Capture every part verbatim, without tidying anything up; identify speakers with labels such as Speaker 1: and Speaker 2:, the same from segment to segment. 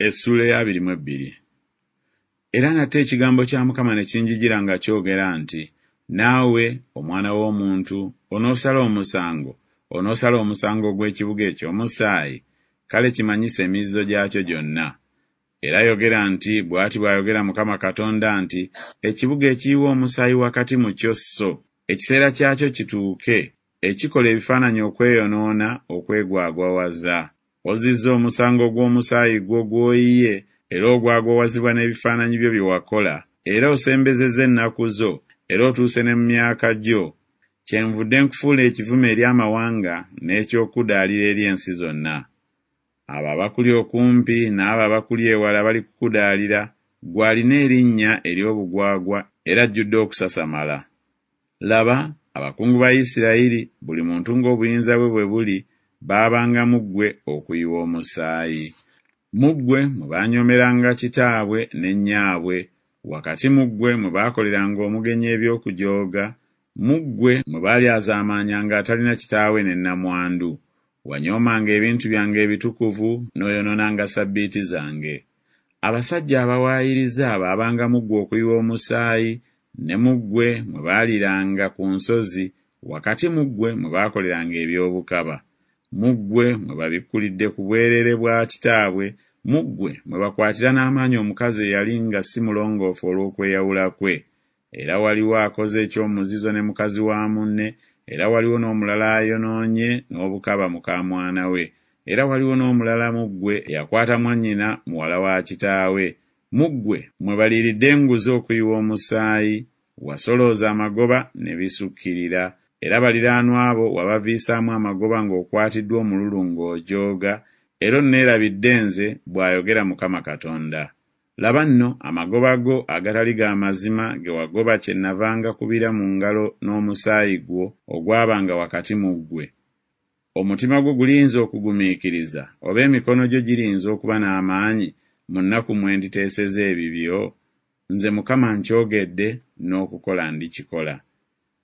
Speaker 1: Essuula ey'abiri mu ebbiri. Era nate ekigambo kya Mukama ne kinjijira nga kyogera nti, Naawe, omwana w'omuntu, onoosala omusango, onoosala omusango ogw'ekibuga eky'omusaayi? Kale kimanyise emizizo gyakyo gyonna. Era yogera nti, Bw'ati bw'ayogera Mukama Katonda nti, Ekibuga ekiyiwa omusaayi wakati mu kyo so, ekiseera kyakyo kituuke, ekikola ebifaananyi okweyonoona okwegwagwawaza. Ozizza omusango gw'omusaayi gwo gw'oyiye, era ogwagwawazibwa n'ebifaananyi byo bye wakola, era osembezezza ennaku zo, era otuuse ne mu myaka gyo. Kyenvudde nkufuula ekivume eri amawanga n'eky'okukudaalira eri ensi zonna. Abo abakuli okumpi n'abo abakuli ewala balikukudaalira, ggwe alina erinnya ery'obugwagwa era ajjudde okusasamala. Laba, abakungu ba Isirayiri, buli muntu ng'obuyinza bwe bwe buli, baabanga mu ggwe okuyiwa omusaayi. Mu ggwe mwe baanyoomeranga kitaabwe ne nnyaabwe, wakati mu ggwe mwe baakoleranga omugenyi eby'okujooga, mu ggwe mwe baalyazaamaanyanga atalina kitaawe ne nnamwandu. Wanyoomanga ebintu byange ebitukuvu n'oyonoonanga ssabbiiti zange. Abasajja abawaayiriza baabanga mu ggwe okuyiwa omusaayi, ne mu ggwe mwe baaliranga ku nsozi, wakati mu ggwe mwe baakoleranga eby'obukaba. Mu ggwe mwe babikkulidde ku bwereere bwa kitaabwe, mu ggwe mwe bakwatira n'amaanyi omukazi eyali nga si mulongoofu olw'okweyawula kwe. Era waliwo akoze eky'omuzizo ne mukazi wa munne, era waliwo n'omulala ayonoonye n'obukaba muka mwana we, era waliwo n'omulala mu ggwe eyakwata mwannyina muwala wa kitaawe. Mu ggwe mwe baliiridde enguzi okuyiwa omusaayi, wasolooza amagoba ne bisukkirira, era baliraanwa bo wabaviisaamu amagoba ng'okwatiddwa omululu ng'ojooga, era onneerabidde nze, bw'ayogera Mukama Katonda. Laba nno, amagoba go agatali ga mazima ge wagoba kyennava ngakubira mu ngalo n'omusaayi gwo ogwabanga wakati mu ggwe. Omutima gwo guliyinza okugumiikiriza, oba emikono gyo giriyinza okuba n'amaanyi mu nnaku mwe nditeeseza ebibyo? Nze Mukama nkyogedde, n'okukola ndikikola.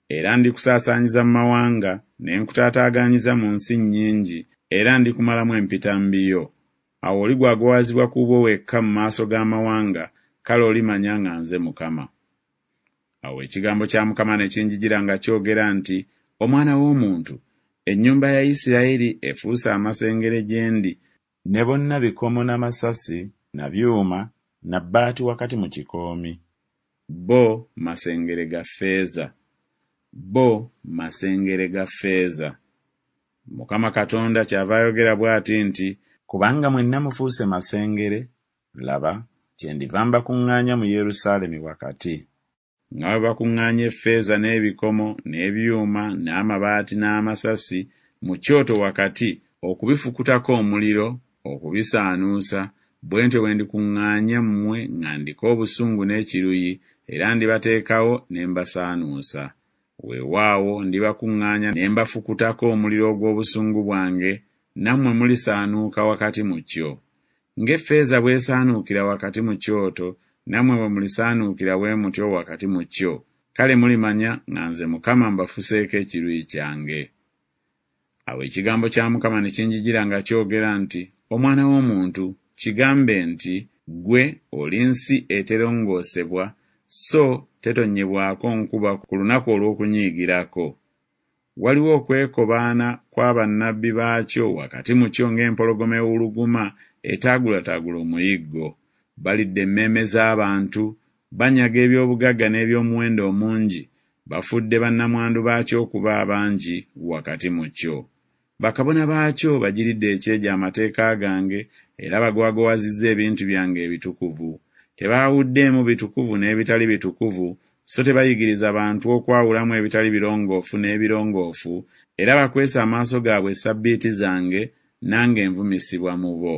Speaker 1: Era ndikusaasaanyiza mu mawanga, ne nkutaataaganyiza mu nsi nnyingi, era ndikumalamu empitambi yo. Awo oligwagwawazibwa ku bwo wekka mu maaso g'amawanga, kale olimanya nga nze Mukama. Awo ekigambo kya Mukama ne kinjijira nga kyogera nti, Omwana w'omuntu, ennyumba ya Isirayiri efuuse amasengere gye ndi, ne bonna bikomo na masasi na byuma na bbaati wakati mu kikoomi. Bo masengere ga ffeeza. Bo masengere ga ffeeza. Mukama Katonda kyava ayogera bw'ati nti, Kubanga mwenna mufuuse masengere, laba, kyendiva mbakuŋŋaanya mu Yerusaalemi wakati. Nga bwe bakuŋŋaanya effeeza n'ebikomo n'ebyuma n'amabaati n'amasasi mu kyoto wakati okubifukutako omuliro okubisaanuusa, bwe ntyo bwe ndikuŋŋaanya mmwe nga ndiko obusungu n'ekiruyi, era ndibateekawo ne mbasaanuusa. Weewaawo ndibakuŋŋaanya ne mbafukutako omuliro ogw'obusungu bwange, nammwe mulisaanuuka wakati mu kyo. Ng'effeeza bw'esaanuukira wakati mu kyoto, nammwe bwe mulisaanuukira bwe mutyo wakati mu kyo, kale mulimanya nga nze Mukama mbafuseeko ekiruyi kyange. Awo ekigambo kya Mukama ne kinjijira nga kyogera nti, Omwana w'omuntu, kigambe nti, Ggwe oli nsi eterongoosebwa, so tetonnyebwako nkuba ku lunaku olw'okunyiigirako. Waliwo okwekobaana kwa bannabbi baakyo wakati mu kyo ng'empologoma ewuluguma etaagulataagula omuyiggo. Balidde emmeeme z'abantu, banyaga eby'obugagga n'eby'omuwendo omungi, bafudde bannamwandu baakyo okuba abangi wakati mu kyo. Bakabona baakyo bagiridde ekyejo amateeka gange, era bagwagwawazizza ebintu byange ebitukuvu. Tebaawuddeemu bitukuvu n'ebitali bitukuvu, so tebayigiriza bantu okwawulamu ebitali birongoofu n'ebirongoofu, era bakwese amaaso gaabwe essabbiiti zange, nange nvumisibwa mu bo.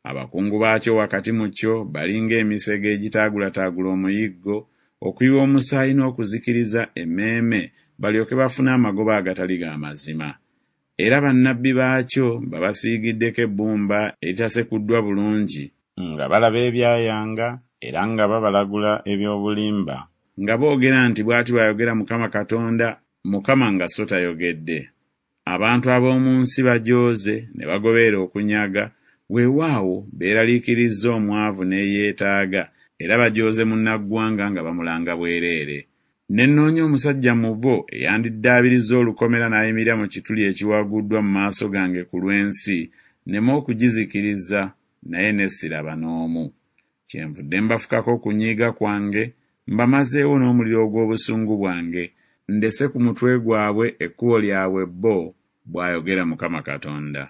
Speaker 1: Abakungu baakyo wakati mu kyo bali ng'emisege egitaagulataagula omuyiggo, okuyiwa omusaayi n'okuzikiriza emmeeme, balyoke bafune amagoba agatali ga mazima. Era bannabbi baakyo babasiigiddeko ebbumba eritasekuddwa bulungi, nga balaba ebyayanga era nga babalagula eby'obulimba, nga boogera nti Bw'ati bw'ayogera Mukama Katonda, Mukama nga so tayogedde. Abantu ab'omu nsi bajooze ne bagoberera okunyaga, Weewaawo, beeraliikirizza omwavu n'eyeetaaga, era bajooze munnaggwanga nga bamulanga bwereere. Ne nnoonya omusajja mu bo eyandiddaabirizza olukomera n'ayimirira mu kituli ekiwaguddwa mu maaso gange ku lw'ensi, nneme okugizikiriza, naye ne siraba n'omu. Kyenvudde mbafukako okunyiiga kwange, mbamazeewo n'omuliro ogw'obusungu bwange, ndese ku mutwe gwabwe ekkubo lyabwe bo, bw'ayogera Mukama Katonda.